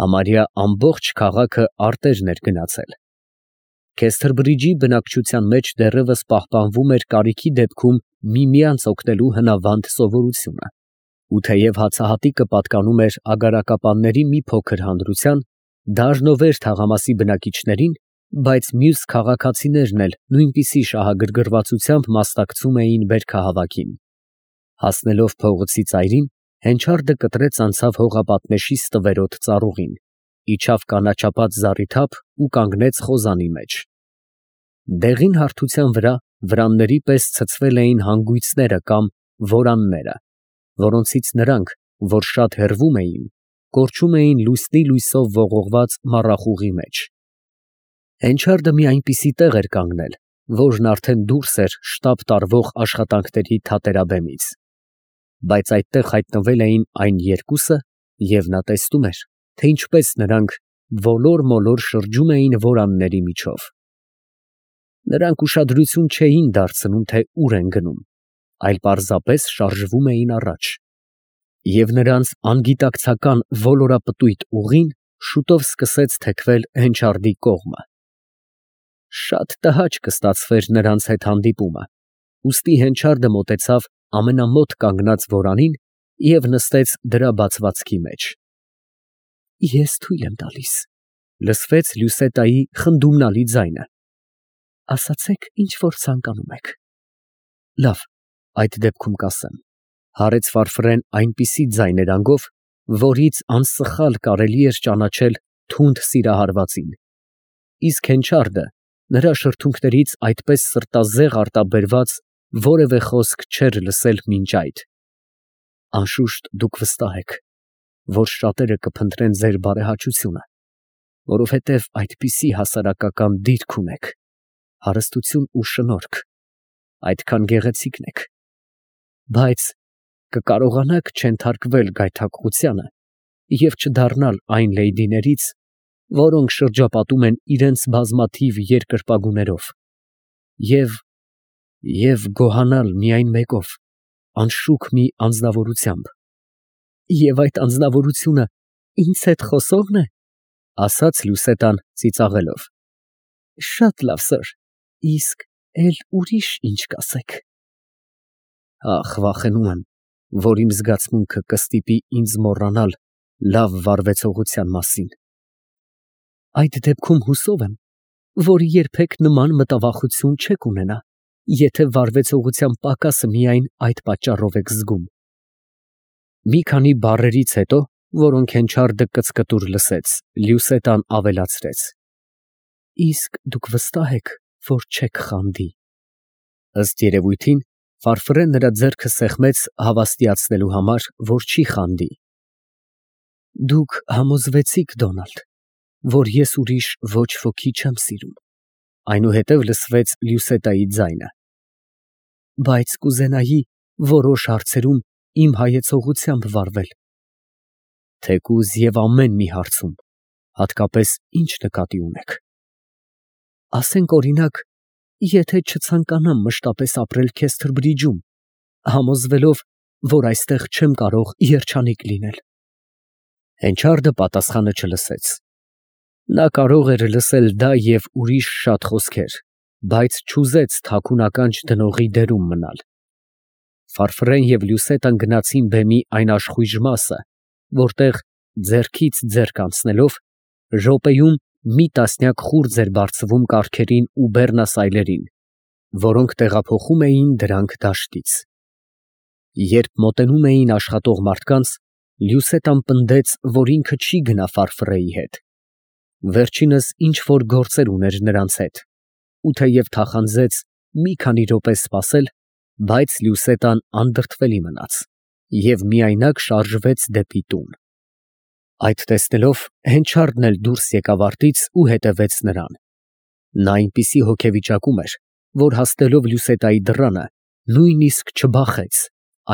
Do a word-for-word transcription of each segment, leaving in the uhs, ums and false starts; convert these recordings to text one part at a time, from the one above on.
Համարյա ամբողջ քաղաքը արտերն էր գնացել։ Քեստերբրիջի բնակչության մեջ դեռևս պահպանվում էր կարիքի դեպքում միմյանց օգնելու հնավանդ սովորությունը, ու թեև հացահատիկը պատկանում էր ագարակապանների մի փոքր հանրության, դառնովեր թաղամասի բնակիչներին, բայց մյուս քաղաքացիներն էլ նույնպիսի շահագրգռվածությամբ մասնակցում էին բերքահավաքին։ Հասնելով փողոցի ծայրին, հենչարդը կտրեց անցավ հողապատնեշի ստվերոտ ծառուղին, իջավ կանաչապատ զառիթափ ու կանգնեց խոզանի մեջ։ Դեղին հարթության վրա վրանների պես ցցվել էին հանգույցները կամ որանները, որոնցից նրանք, որ շատ հեռվում էին, կորչում էին լուսնի լույսով ողողված մառախուղի մեջ։ Հենչարդը մի այնպիսի տեղ էր կանգնել, որն արդեն դուրս էր շտապ տարվող աշխատանքների թատերաբեմից, բայց այդտեղ հայտնվել էին այն երկուսը, և նա տեսնում էր, թե ինչպես նրանք ոլոր֊մոլոր շրջում էին որանների միջով։ Նրանք ուշադրություն չէին դարձնում, թե ուր են գնում, այլ պարզապես շարժվում էին առաջ, և նրանց անգիտակցական ոլորապտույտ ուղին շուտով սկսեց թեքվել հենչարդի կողմը։ Շատ տհաճ կստացվեր նրանց հետ հանդիպումը, ուստի հենչարդը մոտեցավ ամենամոտ կանգնած որանին և նստեց դրա բացվածքի մեջ։ «Ես թույլ եմ տալիս», ֊ լսվեց Լյուսետայի խնդումնալի ձայնը։ «Ասացեք, ինչ որ ցանկանում եք»։ «Լավ, այդ դեպքում կասեմ», ֊ հարեց Ֆարֆրեն այնպիսի ձայներանգով, որից անսխալ կարելի էր ճանաչել թունդ սիրահարվածին, իսկ հենչարդը նրա շրթունքներից այդպես սրտազեղ արտաբերված որևէ խոսք չէր լսել մինչ այդ։ «Անշուշտ դուք վստահ եք, որ շատերը կփնտրեն ձեր բարեհաճությունը, որովհետև այդպիսի հասարակական դիրք ունեք, հարստություն ու շնորհք, այդքան գեղեցիկն եք, բայց կկարողանաք չենթարկվել գայթակղությանը և չդառնալ այն լեյդիներից, որոնք շրջապատում են իրենց բազմաթիվ երկրպագուներով, և, և գոհանալ միայն մեկով, անշուք մի անձնավորությամբ»։ «Եվ այդ անձնավորությունը ինձ հետ խոսողն է, ֊ ասաց Լյուսետան ծիծաղելով։ ֊ Շատ լավ, սըր, իսկ էլ ուրիշ ինչ կասեք։ «Ախ, վախենում եմ, որ իմ զգացմունքը կստիպի ինձ մոռանալ լավ վարվեցողության մասին»։ «Այդ դեպքում հուսով եմ, որ երբեք նման մտավախություն չեք ունենա, եթե վարվեցողության պակասը միայն այդ պատճառով եք զգում»։ Մի քանի բառերից հետո, որոնք հենչարդը կծկտուր լսեց, Լյուսետան ավելացրեց. «Իսկ դուք վստահ եք, որ չեք խանդի»։ Ըստ երևույթին, Ֆարֆրեն նրա ձեռքը սեղմեց հավաստիացնելու համար, որ չի խանդի։ «Դուք համոզվեցիք, Դոնալդ, որ ես ուրիշ ոչ ոքի չեմ սիրում», ֊ այնուհետև լսվեց Լյուսետայի ձայնը։ «Բայց կուզենայի որոշ հարցերում իմ հայեցողությամբ վարվել»։ «Թեկուզ և ամեն մի հարցում, հատկապես ի՞նչ նկատի ունեք»։ «Ասենք, օրինակ, եթե չցանկանամ մշտապես ապրել Քեստերբրիջում, համոզվելով, որ այստեղ չեմ կարող երջանիկ լինել»։ Հենչարդը պատասխանը չլսեց։ Նա կարող էր լսել դա և ուրիշ շատ խոսքեր, բայց չուզեց թաքուն ականջ դնողի դերում մնալ։ Ֆարֆրեն և Լյուսետան գնացին բեմի այն աշխույժ մասը, որտեղ, ձեռքից ձեռք անցնելով, րոպեում մի տասնյակ խուրձ էր բարձվում կառքերին ու բեռնասայլերին, որոնք տեղափոխում էին դրանք դաշտից։ Երբ մոտենում էին աշխատող մարդկանց, Լյուսետան պնդեց, որ ինքը չի գնա Ֆարֆրեի հետ։ Վերջինս ինչ֊որ գործեր ուներ նրանց հետ, ու թեև թախանձեց մի քանի րոպե սպասել, բայց Լյուսետան անդրդվելի մնաց և միայնակ շարժվեց դեպի տուն։ Այդ տեսնելով, հենչարդն էլ դուրս եկավ արտից ու հետևեց նրան։ Նա այնպիսի հոգեվիճակում էր, որ հասնելով Լյուսետայի դռանը, նույնիսկ չբախեց,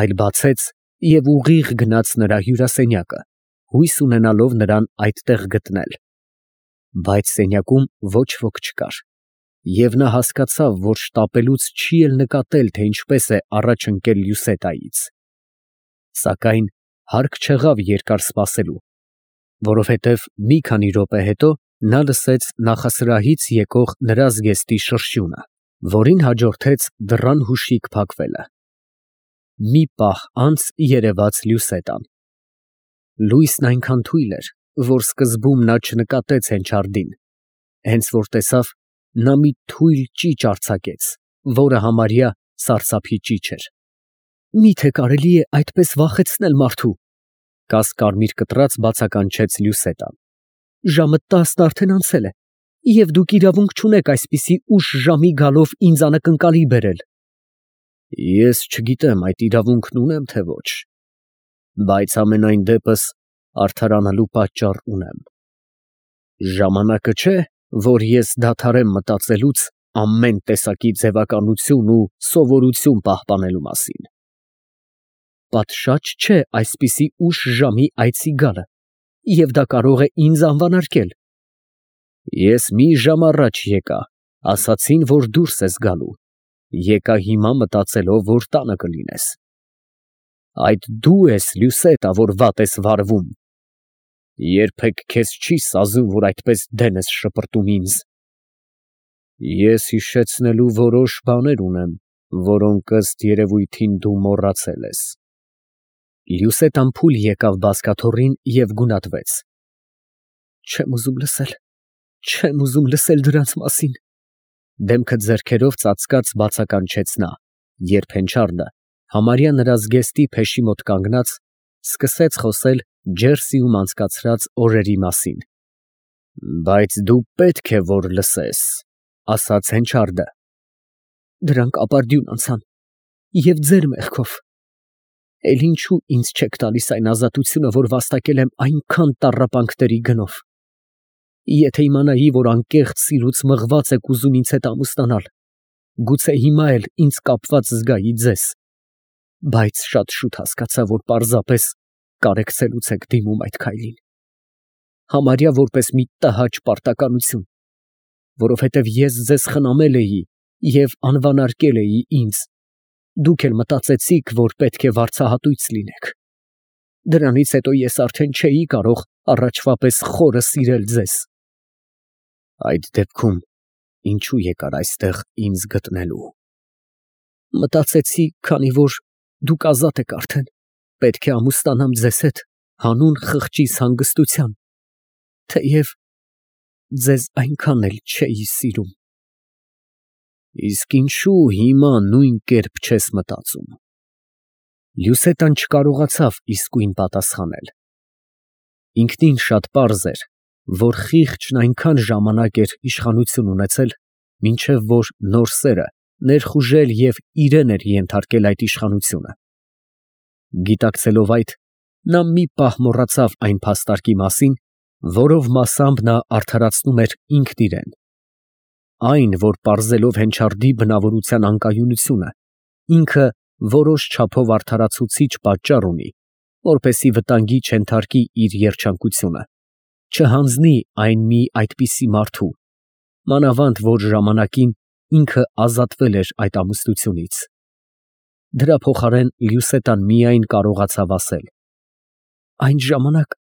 այլ բացեց և ուղիղ գնաց նրա հյուրասենյակը, հույս ունենալով նրան այդտեղ գտնել։ Բայց սենյակում ոչ ոք չկար, և նա հասկացավ, որ շտապելուց չի էլ նկատել, թե ինչպես է առաջ ընկել Լյուսետայից։ Սակայն հարկ չեղավ երկար սպասելու, որովհետև մի քանի րոպե հետո նա լսեց նախասրահից եկող նրա զգեստի շրշյունը, որին հաջորդեց դռան հուշիկ փակվելը։ Մի պահ անց երևաց Լյուսետան։ Լույսն այնքան թույլ էր, որ սկզբում նա չնկատեց Հենչարդին, հենց որ տեսավ, նա մի թույլ ճիչ արձակեց, որը համարյա սարսափի ճիչ էր։ Մի՞թե կարելի է այդպես վախեցնել մարդու, կասկարմիր կտրած բացականչեց Լյուսետան։ Ժամը տասն արդեն անցել է, և դուք իրավունք չունեք այսպիսի ուշ ժամի գալով ինձ անակնկալի բերել։ Ես չգիտեմ այդ իրավունքն ունեմ, թե ոչ, բայց համենայն դեպս արդարանալու պատճառ ունեմ։ Ժամանակը չէ, որ ես դադարեմ մտածելուց ամեն տեսակի ձևականություն ու սովորություն պահպանելու մասին։ Պատշաճ չէ այսպիսի ուշ ժամի այցի գալը, և դա կարող է ինձ անվանարկել։ Ես մի ժամ առաջ եկա, ասացին, որ դուրս ես գալու, եկա հիմա մտածելով, որ տանը կլինես։ Այդ դու ես, Լյուսետա, որ վատ ես վարվում։ Երբեք քեզ չի սազում, որ այդպես դեն ես շպրտում ինձ։ Ես հիշեցնելու որոշ բաներ ունեմ, որոնք ըստ երևույթին դու մոռացել ես։ Լյուսետան փուլ եկավ բազկաթոռին և գունատվեց։ Չեմ ուզում լսել, չեմ ուզում լսել դրանց մասին։ Դեմքը ձեռքերով ծածկած բացականչեց նա, երբ Հենչարդը, համարյա նրա զգեստի փեշի մոտ կանգնած, սկսեց խոսել Ջերսիում անցկացրած օրերի մասին։ Բայց դու պետք է որ լսես, ասաց Հենչարդը։ Դրանք ապարդյուն անցան, և ձեր մեղքով։ Էլ ինչու ինձ չեք տալիս այն ազատությունը, որ վաստակել եմ այնքան տառապանքների գնով։ Եթե իմանայի, որ անկեղծ սիրուց մղված եք ուզում ինձ հետ ամուսնանալ, գուցե հիմա էլ ինձ կապված զգայի ձեզ, բայց շատ շուտ հասկացա, որ պարզապես կարեկցելուց եք դիմում այդ քայլին, համարյա որպես մի տհաճ պարտականություն, որովհետև ես ձեզ խնամել էի և անվանարկել էի ինձ, դուք էլ մտածեցիք, որ պետք է վարձահատույց լինեք։ Դրանից հետո ես արդեն չէի կարող առաջվա պես խորը սիրել ձեզ։ Այդ դեպքում ինչու եկար այստեղ ինձ գտնելու։ Մտածեցի, քանի որ դուք ազատ եք արդեն, պետք է ամուսնանամ ձեզ հետ հանուն խղճիս հանգստության, թեև ձեզ այնքան էլ չէի սիրում։ Իսկ ինչու հիմա նույն կերպ չես մտածում։ Լյուսետան չկարողացավ իսկույն պատասխանել։ Ինքնին շատ պարզ էր, որ խիղճն այնքան ժամանակ էր իշխանություն ունեցել, մինչև որ նոր սերը ներխուժել և իրեն էր ենթարկել այդ իշխանությունը։ Գիտակցելով այդ, նա մի պահ մոռացավ այն փաստարկի մասին, որով մասամբ նա արդարացնում էր ինքն իրեն։ Այն, որ պարզելով Հենչարդի բնավորության անկայունությունը, ինքը որոշ չափով արդարացուցիչ պատճառ ունի, որպեսզի վտանգի չենթարկի իր երջանկությունը, չհանձնի այն մի այդպիսի մարդու, մանավանդ որ ժամանակին ինքը ազատվել էր այդ ամուսնությունից։ Դրա փոխարեն Լյուսետան միայն կարողացավ ասել. Այն ժամանակ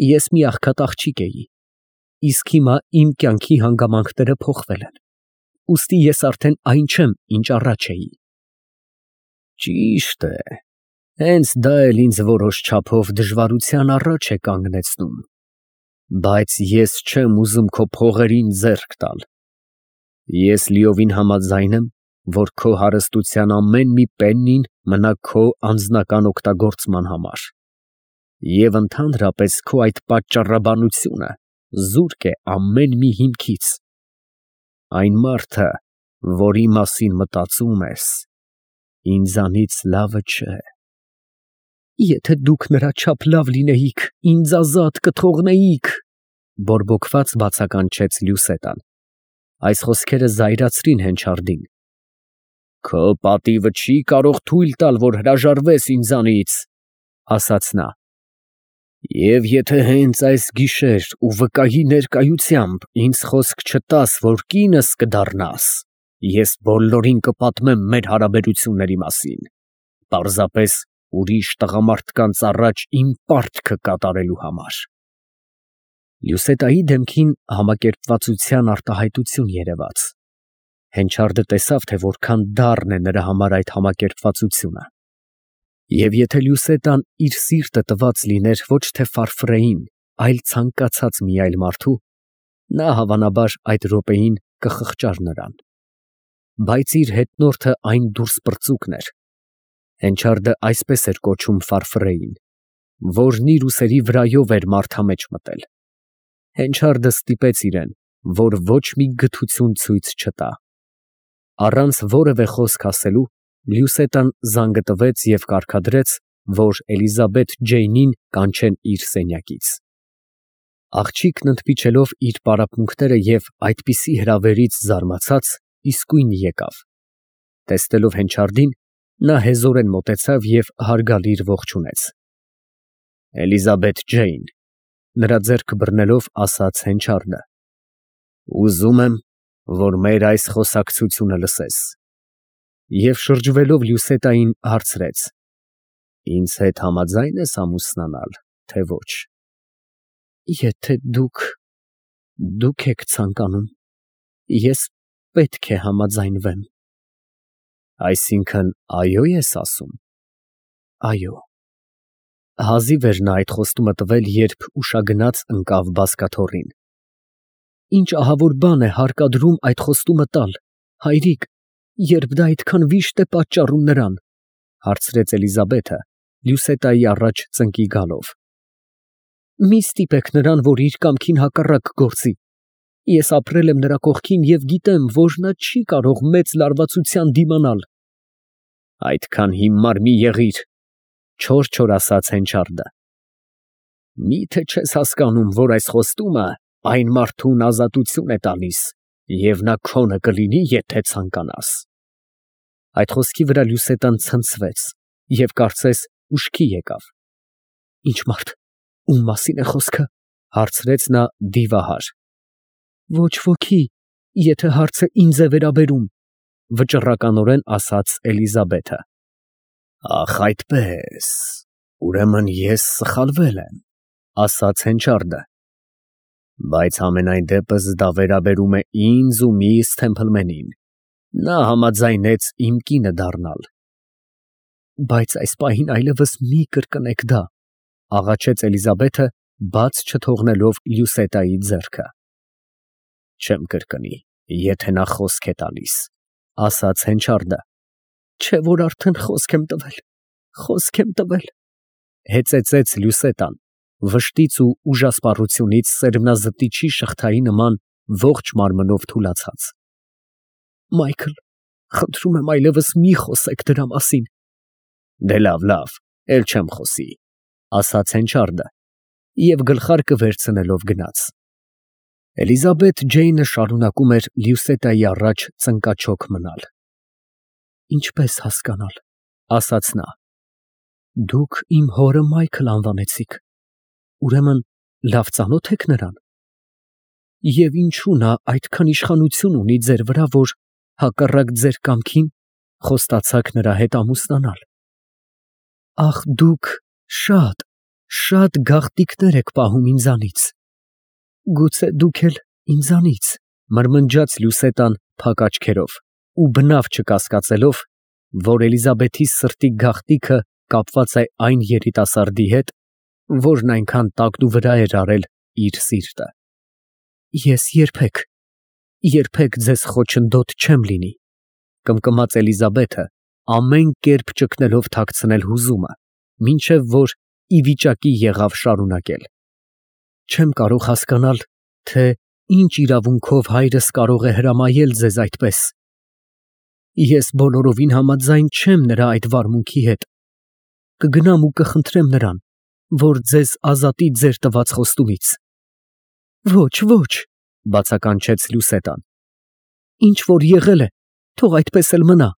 ես մի աղքատ աղջիկ էի, իսկ հիմա իմ կյանքի հանգամանքները փոխվել են, ուստի ես արդեն այն չեմ, ինչ առաջ էի։ Ճիշտ է, հենց դա էլ ինձ որոշ չափով դժվարության առաջ է կանգնեցնում, բայց ես չեմ ուզում քո փողերին ձեռք տալ։ Ես լիովին համաձայն եմ, որ քո հարստության ամեն մի պեննին մնա քո անձնական օգտագործման համար, և ընդհանրապես քո այդ պատճառաբանությունը զուրկ է ամեն մի հիմքից։ Այն մարդը, որի մասին մտածում ես, ինձանից լավը չէ։ Եթե դուք նրա չափ լավ լինեիք, ինձ ազատ կթողնեիք, բորբոքված բացականչեց Լյուսետան։ Այս խոսքերը զայրացրին Հենչարդին։ Քո պատիվը չի կարող թույլ տալ, որ հրաժարվես ինձանից, ասաց նա։ Եվ եթե հենց այս գիշեր ու վկայի ներկայությամբ ինձ խոսք չտաս, որ կինս կդառնաս, ես բոլորին կպատմեմ մեր հարաբերությունների մասին, պարզապես ուրիշ տղամարդկանց առաջ իմ պարտքը կատարելու համար։ Լյուսետայի դեմքին համակերպվածության արտահայտություն երևաց։ Հենչարդը տեսավ, թե որքան դառն է նրա համար այդ համակերպվածությունը։ Եվ եթե Լյուսետան իր սիրտը տված լիներ ոչ թե Ֆարֆրեին, այլ ցանկացած մի այլ մարդու, նա հավանաբար այդ րոպեին կխղճար նրան։ Բայց իր հետնորդը այն դուրսպրծուկն էր։ Հենչարդը այսպես էր կոչում Ֆարֆրեին, որն իր ուսերի վրայով էր մարդամեջ մտել։ Հենչարդը ստիպեց իրեն, որ ոչ մի գթություն ցույց չտա։ Առանց որևէ խոսք ասելու Լյուսետան զանգը տվեց և կարգադրեց, որ Էլիզաբեթ Ջեյնին կանչեն իր սենյակից։ Աղջիկն ընդմիջելով իր պարապմունքները և այդպիսի հրավերից զարմացած, իսկույն եկավ։ Տեսնելով Հենչարդին, նա հեզորեն մոտեցավ և հարգալից ողջունեց։ Էլիզաբեթ Ջեյն, նրա ձեռքը բռնելով ասաց Հենչարդը, ուզում եմ, որ մեր այս խոսակցությունը լսես։ Եվ շրջվելով Լյուսետային հարցրեց. Ինձ հետ համաձա՞յն ես ամուսնանալ, թե ոչ։ Եթե դուք, դուք եք ցանկանում, ես պետք է համաձայնվեմ։ Այսինքն այո՞ ես ասում։ Այո։ Հազիվ էր նա այդ խոստումը տվել, երբ ուշագնաց ընկավ բազկաթոռին։ Ինչ ահավոր բան է հարկադրում այդ խոստումը տալ, հայրիկ, երբ դա այդքան վիշտ է պատճառում նրան, հարցրեց Էլիզաբեթը, Լյուսետայի առաջ ծնկի գալով։ Մի ստիպեք նրան, որ իր կամքին հակառակ գործի։ Ես ապրել եմ նրա կողքին և գիտեմ, որ նա չի կարող մեծ լարվածության դիմանալ։ Այդքան հիմար մի եղիր, չոր-չոր ասաց Հենչարդը։ Մի՞թե չես հասկանում, որ այս խոստումը այն մարդուն ազատություն է տալիս, և նա քոնը կլինի, եթե ցանկանաս։ Այդ խոսքի վրա Լյուսետան ցնցվեց և կարծես ուշքի եկավ։ Ինչ մարդ, ում մասին է խոսքը, հարցրեց նա դիվահար։ Ոչ ոքի, եթե հարցը ինձ է վերաբերում, վճռականորեն ասաց Էլիզաբեթը։ Ախ, այդպես, ուրեմն ես սխալվել եմ, ասաց Հենչարդը։ Բայց համենայն դեպս դա վերաբերում է ինձ ու միս Թեմփլմենին, նա համաձայնեց իմ կինը դառնալ։ Բայց այս պահին այլևս մի կրկնեք դա, աղաչեց Էլիզաբեթը, բաց չթողնելով Լյուսետայի ձեռքը։ Չեմ կրկնի, եթե նա խոսք է տալիս, ասաց Հենչարդը։ Չէ որ արդեն խոսք եմ տվել, խոսք եմ տվել, հեծեծեց Լյուսետան, վշտից ու ուժասպառությունից սերմնազտիչի շղթայի նման ողջ մարմնով թուլացած։ Մայքլ, խնդրում եմ այլևս մի խոսեք դրա մասին։ Դե լավ, լավ, էլ չեմ խոսի, ասաց Հենչարդը և գլխարկը վերցնելով գնաց։ Էլիզաբեթ Ջեյնը շարունակում էր Լյուսետայի առաջ ծնկաչոք մնալ։ Ինչպես հասկանալ, ասաց նա։ Դուք իմ հորը Մայքլ անվանեցիք, ուրեմն լավ ծանոթ եք նրան։ Եվ ինչու նա այդքան իշխանություն ունի ձեր վրա, որ հակառակ ձեր կամքին խոստացաք նրա հետ ամուսնանալ։ Ախ, դուք շատ, շատ գաղտնիքներ եք պահում ինձանից։ Գուցե դուք էլ ինձանից, մրմնջաց Լյուսետան փակ աչքերով ու բնավ չկասկածելով, որ Էլիզաբեթի սրտի գաղտնիքը կապված է այն երիտասարդի հետ, որն այնքան տակնուվրա էր արել իր սիրտը։ Ես երբեք, երբեք ձեզ խոչընդոտ չեմ լինի, կմկմաց Էլիզաբեթը, ամեն կերպ ճգնելով թաքցնել հուզումը, մինչև որ ի վիճակի եղավ շարունակել։ Չեմ կարող հասկանալ, թե ինչ իրավունքով հայրս կարող է հրամայել ձեզ այդպես։ Ես բոլորովին համաձայն չեմ նրա այդ վարմունքի հետ։ Կգնամ ու կխնդրեմ նրան, որ ձեզ ազատի ձեր տված խոստումից։ Ոչ, ոչ, բացականչեց Լյուսետան։ Ինչ որ եղել է, թող այդպես էլ մնա։